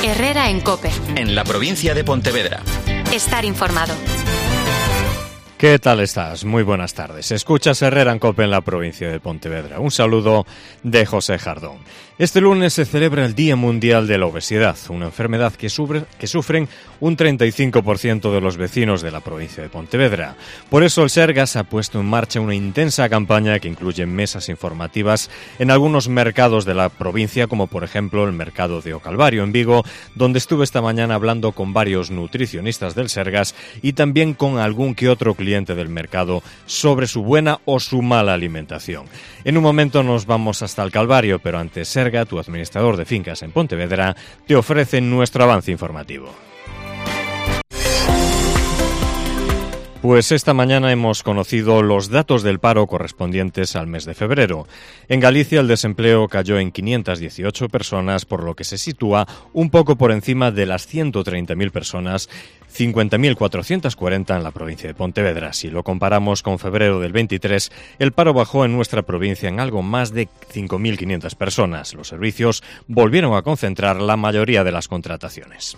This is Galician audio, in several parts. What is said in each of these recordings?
Herrera en COPE. En la provincia de Pontevedra. Estar informado. ¿Qué tal estás? Muy buenas tardes. Escuchas Herrera en COPE en la provincia de Pontevedra. Un saludo de José Jardón. Este lunes se celebra el Día Mundial de la Obesidad, una enfermedad que sufren un 35% de los vecinos de la provincia de Pontevedra. Por eso el Sergas ha puesto en marcha una intensa campaña que incluye mesas informativas en algunos mercados de la provincia, como por ejemplo el mercado de O Calvario en Vigo, donde estuve esta mañana hablando con varios nutricionistas del Sergas y también con algún que otro cliente del mercado sobre su buena o su mala alimentación. En un momento nos vamos hasta el Calvario, pero antes Serga, tu administrador de fincas en Pontevedra, te ofrece nuestro avance informativo. Pues esta mañana hemos conocido los datos del paro correspondientes al mes de febrero. En Galicia el desempleo cayó en 518 personas, por lo que se sitúa un poco por encima de las 130.000 personas, 50.440 en la provincia de Pontevedra. Si lo comparamos con febrero del 23, el paro bajó en nuestra provincia en algo más de 5.500 personas. Los servicios volvieron a concentrar la mayoría de las contrataciones.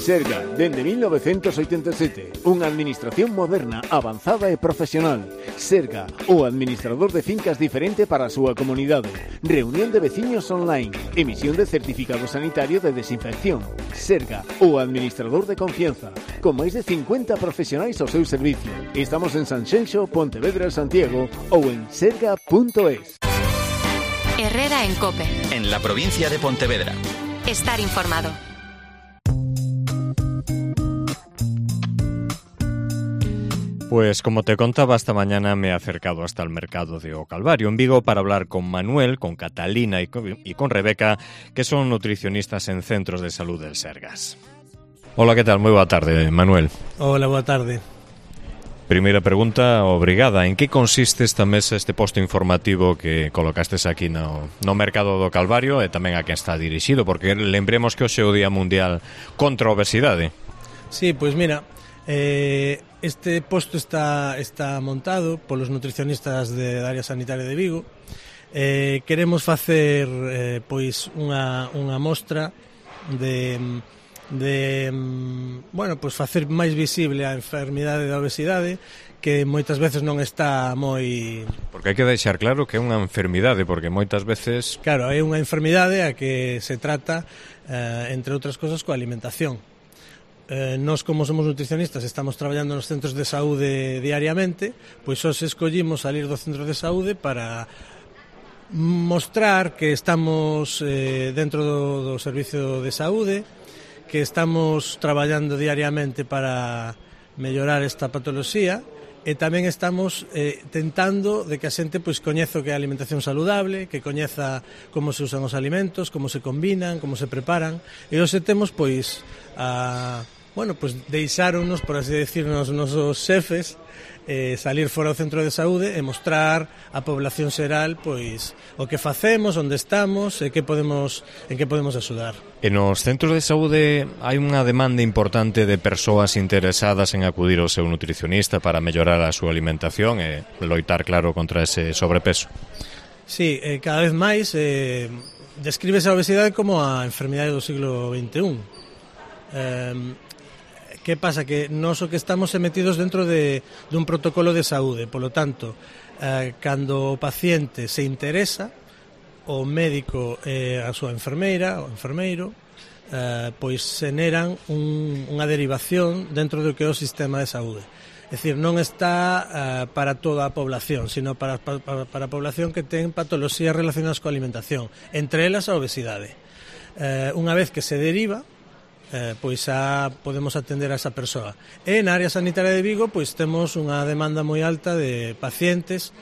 Serga, dende 1987, unha administración moderna, avanzada e profesional. Serga, o administrador de fincas diferente para a súa comunidade. Reunión de veciños online, emisión de certificado sanitario de desinfección. Serga, o administrador de confianza, con máis de 50 profesionais ao seu servicio. Estamos en Sanxenxo, Pontevedra, Santiago ou en serga.es. Herrera en COPE. En la provincia de Pontevedra. Estar informado. Pues como te contaba, esta mañana me he acercado hasta el mercado de O Calvario en Vigo para hablar con Manuel, con Catalina y con Rebeca, que son nutricionistas en centros de salud del Sergas. Hola, ¿qué tal? Muy boa tarde, Manuel. Hola, boa tarde. Primeira pregunta obrigada. En que consiste esta mesa, este posto informativo que colocastes aquí no mercado do Calvario e tamén a quen está dirixido? Porque lembremos que hoxe é o Día Mundial contra a Obesidade. Sí, pois mira, este posto está montado polos nutricionistas da área sanitaria de Vigo. Queremos facer pois unha mostra bueno, pois facer máis visible a enfermidade da obesidade, que moitas veces non está moi... Porque hai que deixar claro que é unha enfermidade, porque moitas veces... Claro, é unha enfermidade a que se trata, entre outras cosas, coa alimentación. Nós, como somos nutricionistas, estamos traballando nos centros de saúde diariamente, pois hoxe escollimos salir do centro de saúde para mostrar que estamos dentro do servicio de saúde, que estamos traballando diariamente para mellorar esta patoloxía, e tamén estamos tentando de que a xente pois coñeza o que é a alimentación saludable, que coñeza como se usan os alimentos, como se combinan, como se preparan, e hoxe temos pois bueno, pois deixáronos, por así decirnos, os nosos xefes salir fora do centro de saúde e mostrar á población xeral pois o que facemos, onde estamos e en que podemos axudar. En os centros de saúde hai unha demanda importante de persoas interesadas en acudir ao seu nutricionista para mellorar a súa alimentación e loitar, claro, contra ese sobrepeso. Sí, cada vez máis descríbese a obesidade como a enfermidade do siglo XXI. Que pasa? Que nós o que estamos metidos dentro dun protocolo de saúde, polo tanto, cando o paciente se interesa, o médico e a súa enfermeira, o enfermeiro, pois xeneran unha derivación dentro do que é o sistema de saúde. É dicir, non está para toda a población, sino para a población que ten patoloxías relacionadas coa alimentación, entre elas a obesidade. Unha vez que se deriva, pois xa podemos atender a esa persoa. E na área sanitaria de Vigo pois temos unha demanda moi alta de pacientes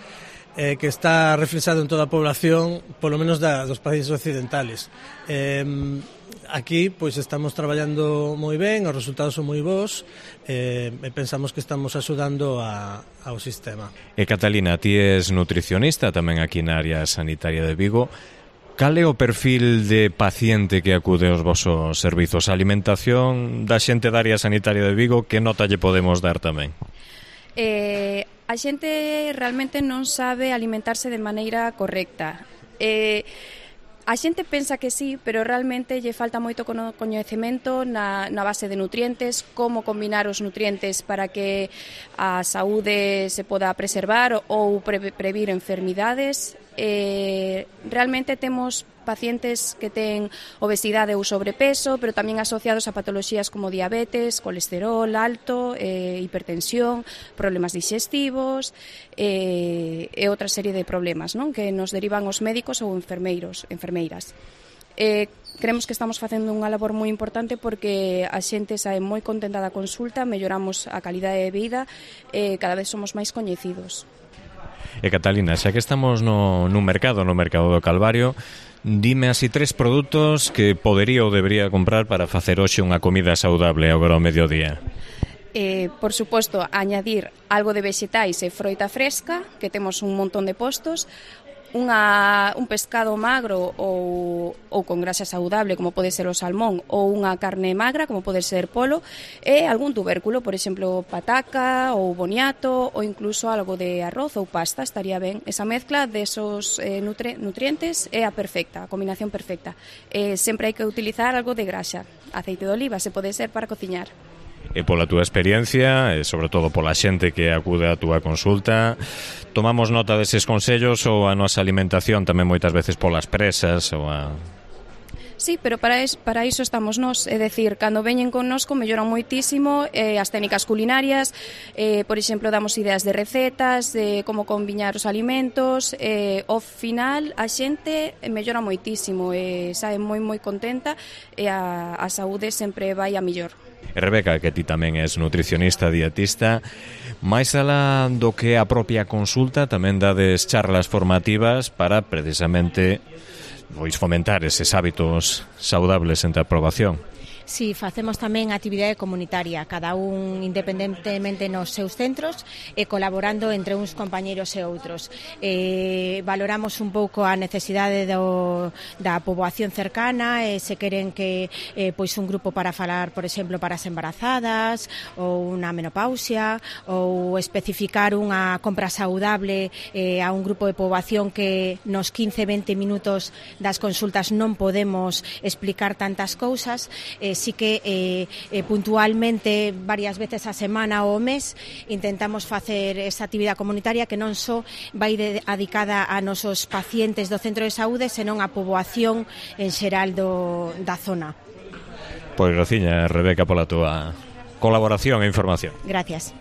que está reflexado en toda a población, polo menos dos países occidentales. Aquí pois estamos traballando moi ben, os resultados son moi bons, e pensamos que estamos axudando ao sistema. E Catalina, ti és nutricionista tamén aquí na área sanitaria de Vigo. Cal é o perfil de paciente que acude aos vosos servizos? A alimentación da xente da área sanitaria de Vigo, que nota lle podemos dar tamén? A xente realmente non sabe alimentarse de maneira correcta. A xente pensa que sí, pero realmente lle falta moito coñecemento na base de nutrientes, como combinar os nutrientes para que a saúde se poda preservar ou previr enfermidades. Realmente temos pacientes que ten obesidade ou sobrepeso, pero tamén asociados a patoloxías como diabetes, colesterol alto, hipertensión, problemas digestivos e outra serie de problemas, non? Que nos derivan os médicos ou enfermeiras. Creemos que estamos facendo unha labor moi importante porque a xente sae moi contenta da consulta, melloramos a calidade de vida e cada vez somos máis coñecidos. E Catalina, xa que estamos no mercado do Calvario, dime así 3 produtos que podería ou debería comprar para facer hoxe unha comida saudable agora ao mediodía. Por suposto, añadir algo de vexetais e froita fresca, que temos un montón de postos, un pescado magro ou con grasa saudable, como pode ser o salmón, ou unha carne magra, como pode ser polo, e algún tubérculo, por exemplo, pataca ou boniato, ou incluso algo de arroz ou pasta, estaría ben. Esa mezcla desos nutrientes é a perfecta, a combinación perfecta. Sempre hai que utilizar algo de grasa, aceite de oliva, se pode ser para cociñar. E pola túa experiencia, e sobre todo pola xente que acude á túa consulta, tomamos nota deses consellos ou a nosa alimentación tamén moitas veces polas presas ou a... Sí, pero para iso estamos nós, é dicir, cando veñen connosco melloran moitísimo as técnicas culinarias, por exemplo, damos ideas de recetas, de como combinar os alimentos, ao final a xente mellora moitísimo e sae moi contenta e a saúde sempre vai a mellor. E Rebeca, que ti tamén és nutricionista, dietista, máis alá do que a propia consulta tamén dades charlas formativas para precisamente fomentar eses hábitos saudables entre a aprobación. Si, facemos tamén actividade comunitaria, cada un independentemente nos seus centros e colaborando entre uns compañeiros e outros. Valoramos un pouco a necesidade da poboación cercana, se queren que pois un grupo para falar, por exemplo, para as embarazadas ou unha menopausia, ou especificar unha compra saudable a un grupo de poboación que nos 15-20 minutos das consultas non podemos explicar tantas cousas. Sí que puntualmente varias veces a semana ou ao mes intentamos facer esa actividade comunitaria que non só vai dedicada a nosos pacientes do centro de saúde, senón a poboación en xeral da zona. Pois graciña, Rebeca, pola túa colaboración e información. Gracias.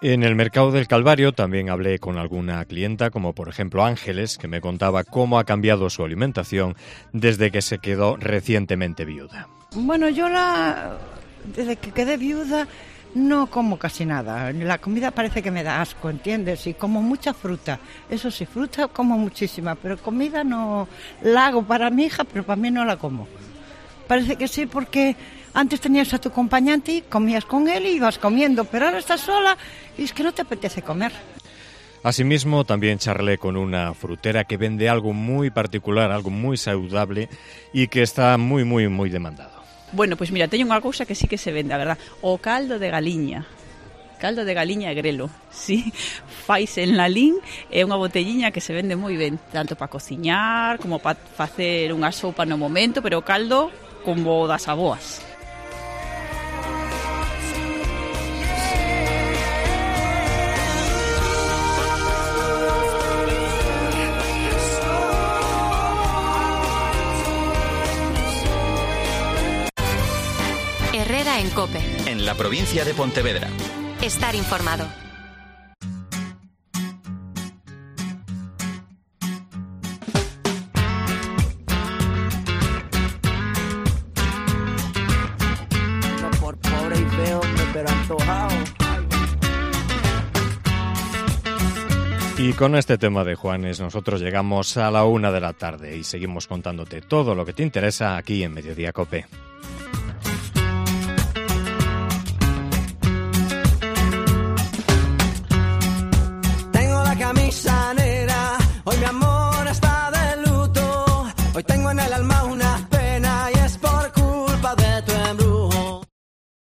En el mercado del Calvario también hablé con alguna clienta, como por ejemplo Ángeles, que me contaba cómo ha cambiado su alimentación desde que se quedó recientemente viuda. Bueno, yo desde que quedé viuda no como casi nada. La comida parece que me da asco, ¿entiendes? Y como mucha fruta. Eso sí, fruta como muchísima, pero comida no la hago para mi hija, pero para mí no la como. Parece que sí, porque antes tenías a tu acompañante y comías con él y ibas comiendo, pero ahora estás sola y es que no te apetece comer. Asimismo, también charlé con una frutera que vende algo muy particular, algo muy saludable y que está muy demandado. Bueno, pues mira, teño unha cousa que sí que se vende, a verdad, o caldo de galiña. Caldo de galiña e grelo, sí, faise en Lalín, é unha botelliña que se vende moi ben, tanto para cociñar como para facer unha sopa no momento, pero o caldo como das aboas. Herrera en COPE. En la provincia de Pontevedra. Estar informado. No por pobre y feo, pero antojado. Y con este tema de Juanes nosotros llegamos a la 1 de la tarde y seguimos contándote todo lo que te interesa aquí en Mediodía COPE.